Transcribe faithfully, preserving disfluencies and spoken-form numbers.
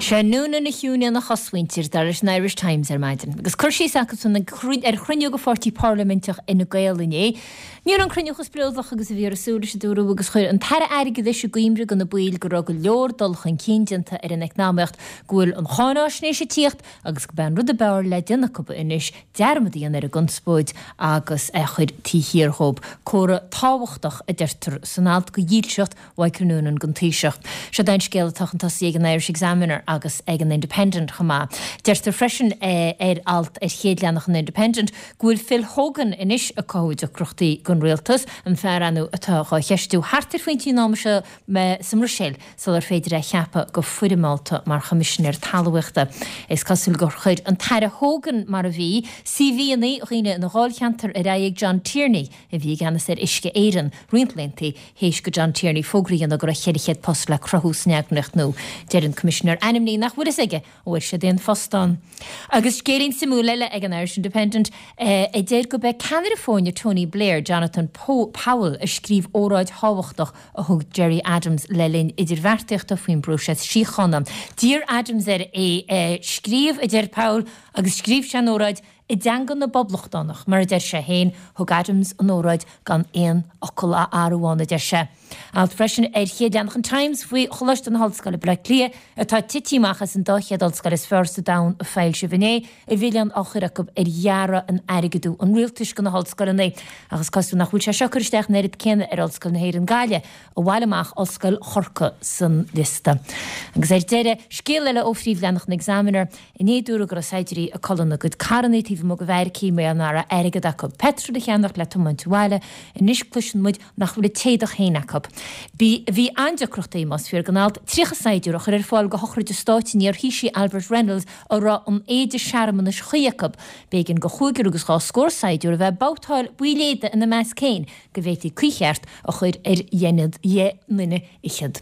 Sé Noonan a chiúnaíonn a chosmhuintir dar leis an Irish Times ar maidin. Agus cur síos acusan ar chruinniú de pháirtí parlaiminteach Fhine Gael inné. Ní raibh an cruinniú chomh spleodrach agus a bhíothar ag súil leis a dúradh agus chuir an tAire Airgeadais i gcuimhne do na baill go raibh go leor dul chun cinn déanta ar an eacnamaíocht, go bhfuil an cháinaisnéis ag tíocht agus gurb é an rud ab fhearr le déanamh acu anois dearmad a dhéanamh ar an gconspóid agus é a chur taobh thiar dhóibh. Comhartha tábhachtach, a deirtear san alt, de dhílseacht Mhichael Noonan don Taoiseach. Seo é an scéal atá chun tosaigh ag an Irish Examiner agus ag an Independent chomh maith. Deirtear freisin ar alt ar chéad leathanach an Independent go bhfuil Phil Hogan anois ag cothú deacrachtaí don rialtas, an fear ann atá á cheistiú thart ar phointí an ama seo sa mBruiséil sular féidir é a cheapadh go foirmeálta mar Choimisinéir Talmhaíochta. Is cosúil gur chuir an tAire Hogan, mar a bhí, CVanna dhaoine ina dháilcheantar ar aghaidh ag John Tierney, a bhí i gceannas ar Uisce Éireann, roinnt laethanta théis do John Tierney fógra a dhéanamh go raibh ceithre chéad post le cruthú san eagraíocht nua. Deir an Coimisinéir ainmní nach bhfuil fhios aige an bhfuil siad aon phost ann. Agus scéilín suimiúil eile ag an Irish Independent a deir gurb é ceannaire foirne Tony Blair, Jonathan Powell, a scríobh óráid thábhachtach a thug Gerry Adams le linn idirbheartaíochta faoin bpróiseas síochána. D'iarr Adams air é a scríobh, a deir Powell, agus scríobh sé an óráid i dteanga na bPoblachtánach, mar a deir sé féin. Thug Adams an óráid gan aon fhocal a athrú ann, a deir sé. Alt freisin ar chéad leathanach an Times faoi Choláiste na hOllscoile, Baile Átha Cliath, atá tite amach as an dá chéad ollscoil is fearr sa domhan a foilsíodh inné, a mhilleán á chur acu ar ghearradh in airgeadú an rialtais do na hollscoileanna. Ach is cosúil nach bhfuil sé seo ag cur isteach an oiread céanna ar Ollscoil na hÉireann Gaillimh, a bhain amach Ollscoil Chorcaí san liosta. Agus ar deireadh, scéal eile ó phríomhleathanach an Examiner, Inné dúradh go raibh saighdiúirí ag codladh ina gcuid carranna taobh amuigh de bheairicí mar nach raibh airgead acu peitreal a cheannach le tiomáint abhaile. Anois cloiseann muid nach bhfuil a t-éadach féin acu. Bhí an-deacrachtaí, más fíor don alt, tríocha saighdiúir a chur ar fáil do shochraid an stáit an iar-Thaoisigh Albert Reynolds a raibh an éide searmanais chuí acu. B'éigean do chúigear agus dhá scór saighdiúir a bheith ag babhtáil baill éadaigh ina measc féin go bhféadfaí caoi cheart a chur ar dheich nduine fhichead.